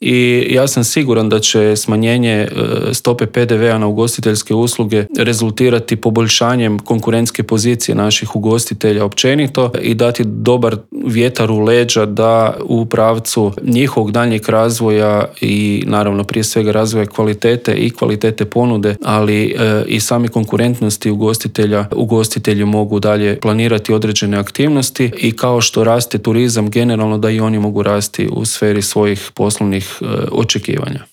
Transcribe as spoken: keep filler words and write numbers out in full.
i ja sam siguran da će smanjenje stope P D V-a na ugostiteljske usluge rezultirati poboljšanjem konkurentske pozicije naših ugostitelja općenito i dati dobar vjetar u leđa da u pravcu njihovog daljnjeg razvoja i naravno prije svega razvoja kvalitete i kvalitete ponude, ali e, i same konkurentnosti ugostitelja, ugostitelji mogu dalje planirati određene aktivnosti i kao što raste turizam generalno da i oni mogu rasti u sferi svojih poslovnih e, očekivanja.